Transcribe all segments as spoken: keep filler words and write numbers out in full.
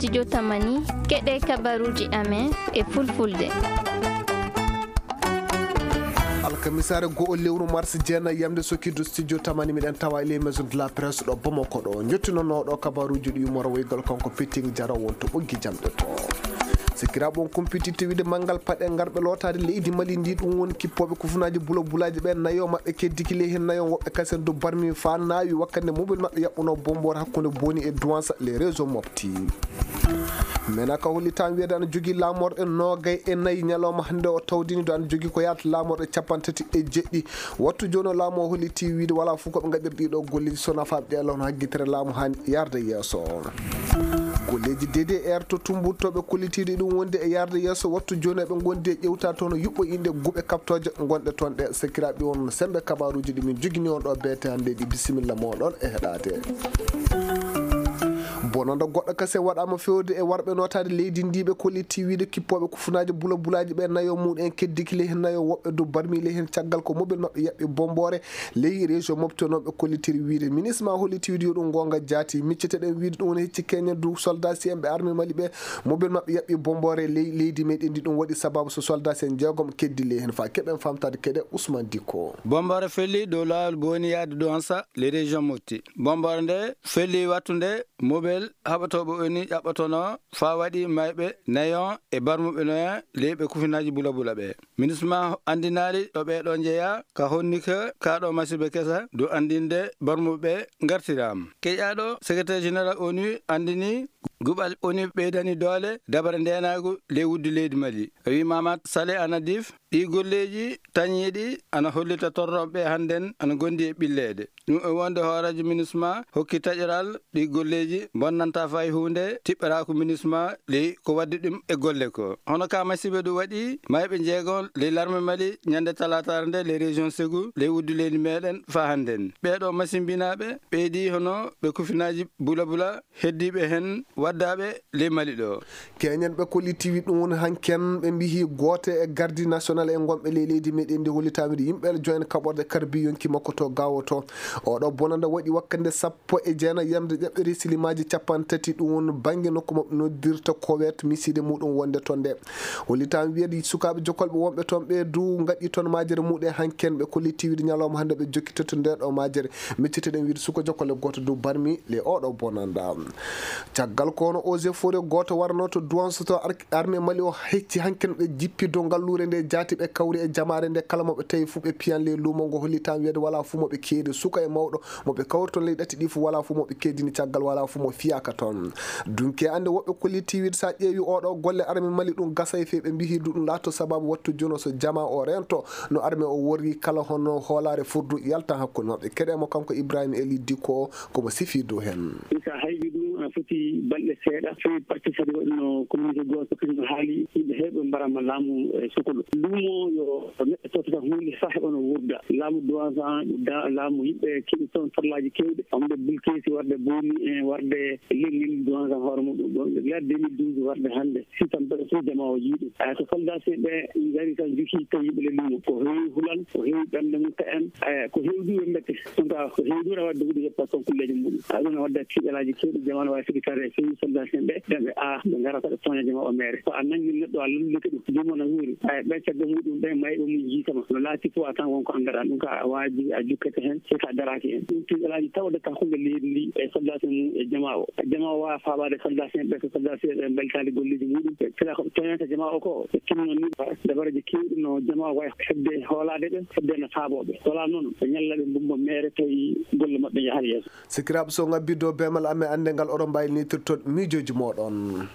Studio Tamani, keɗe kabaruji amen e fulfulde. Alkamisaare go'o lewru mars jeenayi yamde sokkidu studio Tamani miɗen tawa e les maisons de la presse ɗo Bamako ɗo. Njottinono ɗo kabaruji ɗi yumoro woygal kanko Pitting Jaro wonto ɓoggi jamɗe to. Sikkiraaɓe on kumpititte wiide manngal paɗe ngarɓe lootaade leydi Mali ndi, ɗum woni kippooɓe kufunaaji bula bulaaji ɓe, nayo maɓɓe keddiki ley heen nayo woɓɓe kasen do barmi fa naawi wakkande mobel maɓɓe yaɓɓuno bomboore hakkunde Boni e Douentza les réseaux mofti. Menaka holli tan wiyeede ana jogii laamorɗe noogay e nayi ñalawma hannde o tawdini do ana jogii ko yaata laamorɗe capanɗe tati e jeɗɗi. Wattu jooni o laamu o holliti wiide wala fof ko ɓe ngaɗiri ɗiɗo golleji so nafaaɓe ɗe law no haggitere laamu haani yarde yeeso. Golleji D D R to Tumbut to ɓe kollitiiɗi ɗum wonde e yarde yeeso wattu jooni eɓe ngondi e ƴewta toon yuɓɓo inɗe guɓe kaptooje gonɗe toon ɗe. Sekiraaɓe on sembe kabaruji ɗi min jogini on ɗo beete hannde ɗi bisimilla moɗon e heɗaade. Bonanda goɗɗo kase waɗama fewde e warɓe notaade leydi ndi ɓe kolliti wiide kippooɓe kufunaaji bula bulaaji ɓe nayo muɗen keddiki ley heen nayo woɓɓe do barmi ley heen caggal ko mobel maɓɓe yaɓɓi bomboore ley région mofti noon ɓe kollitiri wiide ministre ma holliti wiide yo ɗum goonga jaati micceteɗen wiide ɗum woni hecci keñen du soldat si en ɓe armée Mali ɓe mobel maɓɓe yaɓɓi bomboore ley leydi meɗen ndi ɗum waɗi sababu so soldat si en jeegom keddi ley heen fa keɓen famtade keɗe Ousmane Dicko. Bomboore felli dow laawol Boni yaade Douentza les régions mofti. Bomboore nde felli wattunde mobel haɓatooɓe oni ƴaɓɓatono fa waɗi mayɓe nayon e barmuɓe noya leyɓe kufinaaji bula bula ɓe. Ministre ma anndinaali ɗo ɓeeɗo njeya ka honni ka kaɗo masibe kesa du anndinde barmuɓe ngartiraama. Keƴaɗo secrétaire général onu anndini guɓal onu ɓeydani doole dabare ndenaagu ley wuddu leydi Mali. O wi Mamat Saleh Anadif ɗi golleji tañiiɗi ana hollita torroɓe hannden ana gondi e ɓilleede. Ɗum e wonde hooreejo minisma hokki taƴoral ɗi golleji bonnanta fay huunde tiɓɓeraaku minisma ley ko waddi ɗum e golle ko. Hono ka masiiba ɗum waɗi mayɓe njeegon ley larme Mali ñande talaataare nde ley région Ségou ley wuddu leydi meɗen fa hannden. Ɓeeɗo masimbinaaɓe ɓeydi hono ɓe kufinaaji bula bula heddiiɓe heen waddaaɓe ley Mali ɗo. Keñen ɓe kollitiwi ɗum woni hanken ɓe mbihi goote e gardi national e gonɓe ley leydi meɗen ndi hollitaami ɗi yimɓe joyen kaɓorde karbi yonki makko to gawo to. Oɗo bonanda waɗi wakkande sappo e jeenayi yamde ƴaɓɓiri silimaaji capanɗe tati ɗum woni bannge nokku maɓɓe noddirta kowet miside muɗum wonde toon nde. Hollitaami wiyeede sukaaɓe jokolɓe wonɓe toon ɓe du ngaɗi toon majere muɗe hanken ɓe kollitiwi ɗi ñalawma hannde ɓe jokkitoto nde ɗo majere. Micciteɗen wiide suka jokkole gooto dow barmi le oɗo bonanda. Caggal ko ono eaux et forêt gooto warano to Douentza to ar-, armée Mali o hecci hanken ɓe jippi dow ngalluure nde jaati ɓe kawri e jamaare nde kala mo ɓe tawi fuu ɓe piyan ley luumo ngo holli tan wiyeede wala fuu mo ɓe keedi suka e mawɗo mo ɓe kawri toon ley ɗatti ɗi fuu wala fuu mo ɓe keedini caggal wala fuu mo fiyaka toon. Dunke ande woɓɓe kolliti wiide sa ƴeewi oɗo golle armée Mali ɗum gasa e fewi ɓe mbihi du ɗum laato sababu wattu jono so jama o rento no armée o worri kala hono hoolaare furdu yaltan hakkunde maɓɓe. Keɗe mo kanko Ibrahima Eli Dikko o, komo sifi dow heen. Sa haybi ɗum, a foti balɗe seeɗa, fewi parti kadi waɗno communiqué gooto, kadi no haali yimɓe heewɓe mbarama laamu e sukolo. Luumo yo neɗɗo tottata huunde, sa heɓa no wurda. Laamu Douentza, da-, laamu yimɓe keɓi toon farlaaji keewɗi, famde Bulkeesi, warde Boni, e warde Lengel, Douentza hoore muɗum. Ɗon ɓe gila deux mille douze warde hannde. Sitan mbeɗa fof jama o yiiɗi. Aya, so soldat seeɗa ɓe ngari tan, joki tawi yimɓe le lumo. Ko heewi hulan, ko heewi ɓernde mum ta en. Aya, ko heewi ɗum ɓe mbette. Donc, ko heewi ɗum rawat dogude yetto ton kulleeji muɗum. Aya, ɗum ne wadda kiɗalaaji keewɗi, jama no waawi fiti kare, feewi soldat seeɗa ɓe, ɓe, ɓe, a, ɓe ngarata ɓe tooña jama o meere. So a nanngii neɗɗo, a lallike ɗum, jumana huuri. Aya, ɓe caggal muɗum, ɓe mayɓe mum jiitama. No laati fof, a tan wonko anndaɗaa. Ɗum ka a waaji, a jukkete heen, so ka daraaki heen. Ɗum kiɗalaaji tawde ka hunde leydi ndi, e soldat mum, e jama o. Jama o waawa faabaade soldat ɓe, so soldat ɓe mbalitaali golleeji muɗum. Ɓe kala ko ɓe tooñanta jama o ko, ɓe tinno ni, dabareeji keewɗi no jama o wayi heɓde hoolaade ɓe, heɓde no faaboo ɓe. So alaa noon, ɓe ñalla ɓe mbumba meere tawi golle maɓɓe njahat yeeso. Sikiraaɓe so ngabbi dow beemal amen annde ngal oɗon mbaawi nitirtoon miijooji mooɗon.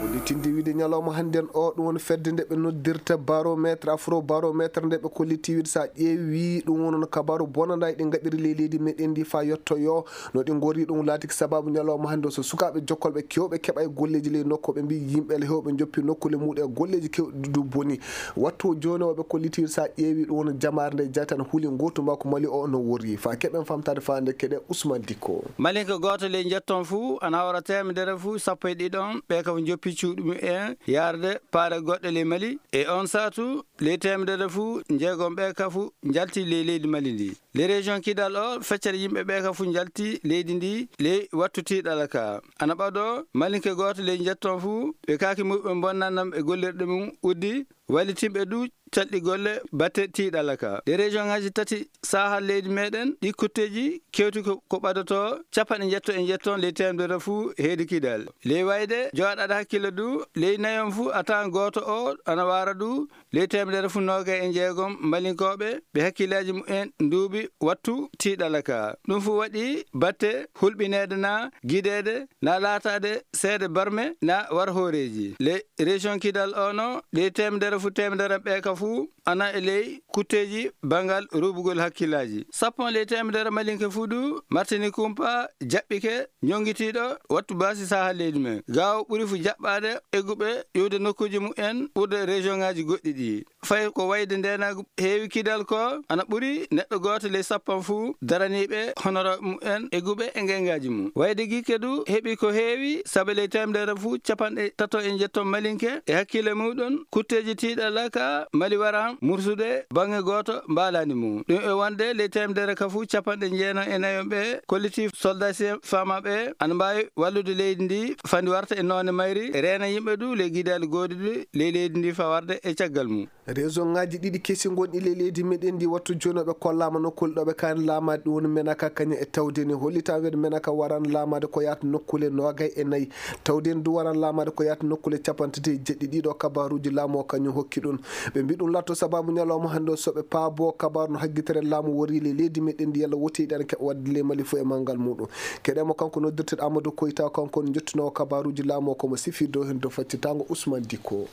Woni tindi wiide ñalawma hannden o, ɗum woni fedde nde ɓe noddirta barométre, afro barométre nde ɓe kolliti wiide so a ƴeewi ɗum woni no kabaru bonanda e ɗi ngaɗiri ley leydi meɗen ndi fa yettoyo. No ɗi ngorri ɗum laatiki sababu ñalawma hannde o so sukaaɓe jokkolɓe kewɓe keɓa e golleeji ley nokku ɓe mbi yimɓe le hewɓe njoppi nokkule muɗum e golleeji kewɗi du boni. Wattu o jooni o ɓe kolliti so a ƴeewi ɗum woni jamaare nde jaytan huuli ngootu makko Mali o no worri. Fa keɓen famtaade faande keɗe Ousmane Dicko. Malinko gooto ley njetton fuu ana hawra teemedere fuu sappo e ɗiɗon ɓe kam njoppi ɗum en yaarde paare goɗɗe ley Mali. E on saatu, ley teemedere fuu njeegom ɓe ka fuu njalti ley leydi Mali ndi. Ley région Kidal o, feccere yimɓe ɓe ka fuu njalti leydi ndi ley wattu tiiɗalla ka. Ana ɓadoo, Malinke gooto ley njetton fuu, ɓe kaaki muɓɓe bonnanam e gollirɗe mum uddi, wallitinɓe du calɗi golle batte tiiɗalla ka. Ley région ŋaaji tati Sahel leydi meɗen, ɗi kutteeji kewti ko, ko ɓadotoo capanɗe njetto e njetton ley teemedere fuu heedi Kidal. Ley wayde, jooɗaade hakkille du, ley nayon fuu a tawan gooto o ana waara du, ley teemedere fuu noogay e njeegom Malinkooɓe, ɓe hakkillaaji mumen nduuɓi wattu tiiɗalla ka. Ɗum fuu waɗi batte hulɓineede na gideede na laataade seede barme na war hooreeji. Ley région Kidal o no, ley teemedere fuu teemedere ɓe ka fuu ana e ley kutteeji banngal ruubugol hakkillaaji. Sappo ley teemedere Malinke fuu du, Martini Kumpa jaɓɓike ñonngitiiɗo wattu baasi Sahel leydi men. Gaawo ɓuri fuu jaɓɓaade egguɓe iwde nokkuuji mumen ɓurde région ŋaaji goɗɗi ɗi. Fay ko wayde ndeenaagu heewi Kidal ko, ana ɓuri neɗɗo gooto ley sappan fuu daraniiɓe honoraaɓe mumen egguɓe e ngeengaaji mum. Wayde Gikke du heɓi ko heewi, sabu ley teemedere fuu capanɗe tato e njetton Malinke e hakkille muuɗum, kutteeji tiiɗalla ka Mali waran mursude bannge gooto mbaalaani mum. Ɗum e wonde ley teemedere ka fuu capanɗe jeenayi e nayon ɓe kollitif soldaasiyen faamaaɓe ana mbaawi wallude leydi ndi fandi warta e noone mayri, reena yimɓe du ley gidaali gooduɗi ley leydi ndi faa warde e caggal mum. Région ŋaaji ɗiɗi kesi ngonɗi ley leydi meɗen ndi wattu jooni o ɓe kollaama nokkuule ɗo ɓe kaani laamaade, ɗum woni Menaka kañum e Tawdeni. Hollitaa weedo Menaka waran laamaade ko yaata nokkuule noogay e nayi. Tawdeni du waran laamaade ko yaata nokkuule capanɗe tati e jeɗɗi. Ɗiɗo kabaaruuji laamu o kañum hokki ɗum. Ɓe mbi ɗum latto sababu ñalawma hannde o so ɓe paabo kabaaru no haggitere laamu wori ley leydi meɗen ndi yalla woti ɗan keɓa waɗde ley Mali fuu e manngal muuɗum. Keɗee mo kanko noddirteeɗo Amadou Koyta, kanko on jottinoowo kabaaruuji laamu o ko mo sifi dow heen dow faccitaango Ousmane Dicko.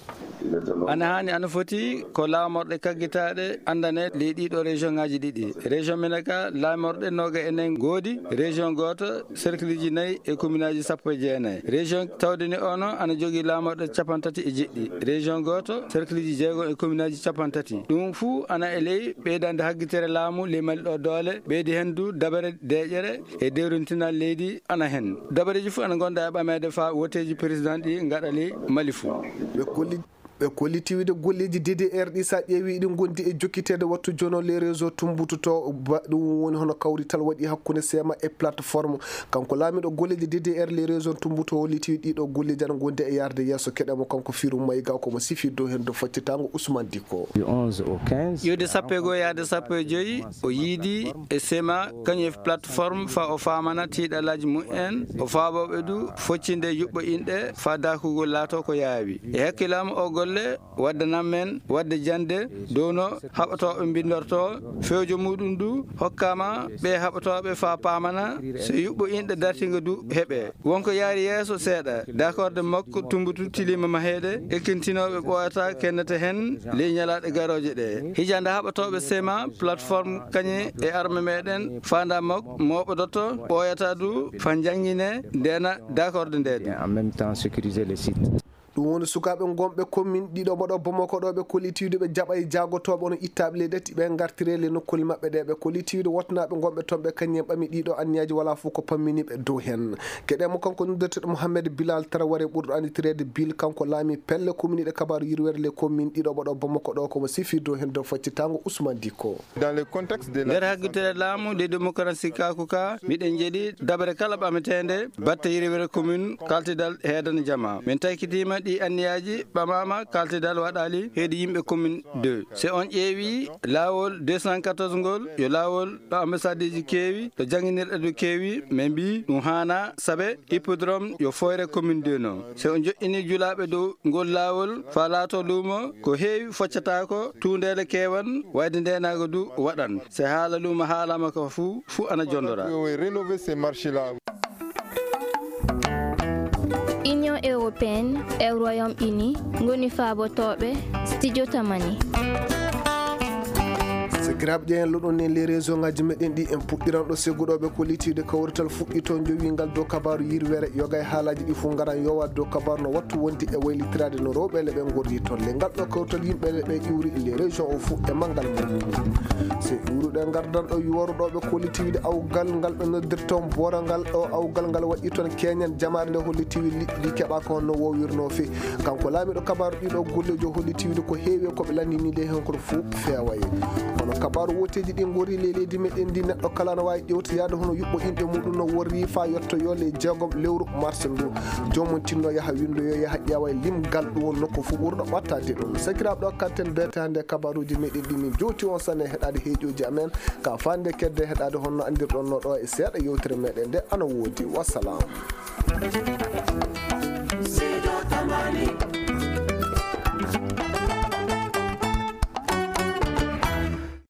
Ana haani, ana foti ko laamorɗe kaggitaaɗe anndane ley ɗiɗo région ŋaaji ɗiɗi. Région Menaka laamorɗe nooga e nayi ngoodi, région gooto, cercleji nayi e commune aji sappo e jeenayi. Région Tawdeni ono ana jogii laamorɗe capanɗe tati e jeɗɗi, région gooto, cercleji jeegom e commune aji capanɗe tati. Ɗum fuu ana e ley ɓeydande haggitere laamu ley Mali ɗo doole, ɓeydi heen du dabare deeƴere e dewrintinal leydi ana heen. Dabareeji fuu ana ngonda e ɓameede faa woteeji président ɗi ngaɗa ley Mali fuu. Ɓe kolli, ɓe kolliti wiide golleeji D D R ɗi, so a ƴeewi, iɗi ngondi e jokkiteede wattu jono les réseaux tumbututo ba-, ɗum woni hono kawrital waɗi hakkunde sema e plateforme. Kanko laamiiɗo golleeji D D R les réseaux tumbuto holliti ɗiɗo golleeji ana ngondi e yarde yeeso. Keɗee mo kanko Firu Mayga, ko mo sifi dow heen dow faccitaango Ousmane Dicko. Du onze au quinze. Iwde sappo e goo yaade sappo e joy, o yiidi e sema kañum e plateforme faa o faamana tiiɗalaaji mumen, o faabooɓe du foccinde yuɓɓo inɗe faa daakugol laato ko yaawi. E hakkilaamu o golle waddanam men waɗde jannde dow no haɓotooɓe mbinndortoo. Fewjo muuɗum du hokkaama ɓe haɓotooɓe faa paamana so yuɓɓo inɗe dartinga du heɓee. Wonko yaari yeeso seeɗa, dakorde makko tumbutu tiliima maheede, ekkintinooɓe ɓooyata kennete heen ley ñalaaɗe garooje ɗe. Hijande haɓotooɓe sema plateforme kañe e arme meɗen faanda makko mooɓodoto ɓooyata du faa njannginee ndeena dakorde nde du. En même temps sécuriser les sites. Ɗum woni sukaaɓe ngonɓe commune ɗiɗo mboɗo Bamako ɗo, ɓe kolliti wiide ɓe jaɓay jaagotooɓe ono ittaaɓe ley ɗetti ɓe ngartire le nokkuule maɓɓe ɗe. Ɓe kolliti wiide wotnaaɓe ngonɓe toon ɓe kañum en ɓami ɗiɗo anniyaaji wala fof ko pammini ɓe dow heen. Keɗee mo kanko noddirteeɗo Mohamed Bilal Traoré ɓurɗo annditireede Bil, kanko laami pelle commune ɗe kabaaru yirwere le commune ɗiɗo mboɗo Bamako ɗo, ko mo sifi dow heen dow faccitaango Ousmane Dicko. Dans le contexte de la Nder haggitere laamu de démocratie kaku ka, miɗen njeɗi dabare kala ɓameteende batte yirwere commune kaltidal heedana jama. Min taykitiima ɗi anniyaaji ɓamaama kaltidal waɗaali heedi yimɓe commune deux. So on ƴeewi laawol deux cent quatorze ngol, yo laawol ɗo ambassadeeji keewi, ɗo jannginirɗe du keewi, min mbi ɗum haana sabe hippodrome yo fooyre commune deux no. So on joɗɗini julaaɓe dow ngol laawol faa laato luumo, ko heewi foccataako, tuundeele keewan, wayde ndeenaago du waɗan. So haala luumo haalaama ka fuu, fuu ana jondora. Rénover ces marchés-là. Union européenne e Royaume-Uni ngoni faabotooɓe Studio Tamani. C'est Sakiraaɓe, ƴeewen loɗon en les région ngaji meɗen ɗi. En puɗɗiran ɗo segguɗoɓe ko litiwde kawrital fuɗɗito jowingal dow kabaru yirwere. Yoga e haalaji ɗi fof ngaran yowa dow kabaru no wattu wonde e waylitiraade no rewɓe leɓe ngorri toon. Le ngal ɗo kawtal yimɓe leɓe ƴuuri les région o fof e manngal mum. Se ƴuuruɗe ngardan ɗo yuwaruɗoɓe ko litiwde awgal ngal ɓe noddirton boora ngal ɗo awgal ngal waɗi toon keñen jamaare nde holli tiwi liɗɗi keɓa ko honno wowirno fe. Kanko laamiɗo kabaru ɗiɗo gollejo holli tiwde ko heewi ko ɓe lanndini nde hen koto fof feewaye. Kono kabaru woteji ɗi ngori le leydi meɗen ndi neɗɗo kala no wawi ƴewtoyade hono yuɓɓo inɗe muɗum no worri fa yettoyo le jeegom lewru mars ndu. Jomum tinno yaha windo yo yaha ƴeewa e limgal ɗum won nokku fof ɓurɗo ɓattade ɗum. Sakiraɓe, ɗo kanten bete hannde kabaruji meɗen ɗi min jowti on sanne heɗade heeƴoji amen ka fande kedde heɗade honno andirɗon no ɗo e seeɗa yewtere meɗen nde ana wodi. Wassalam.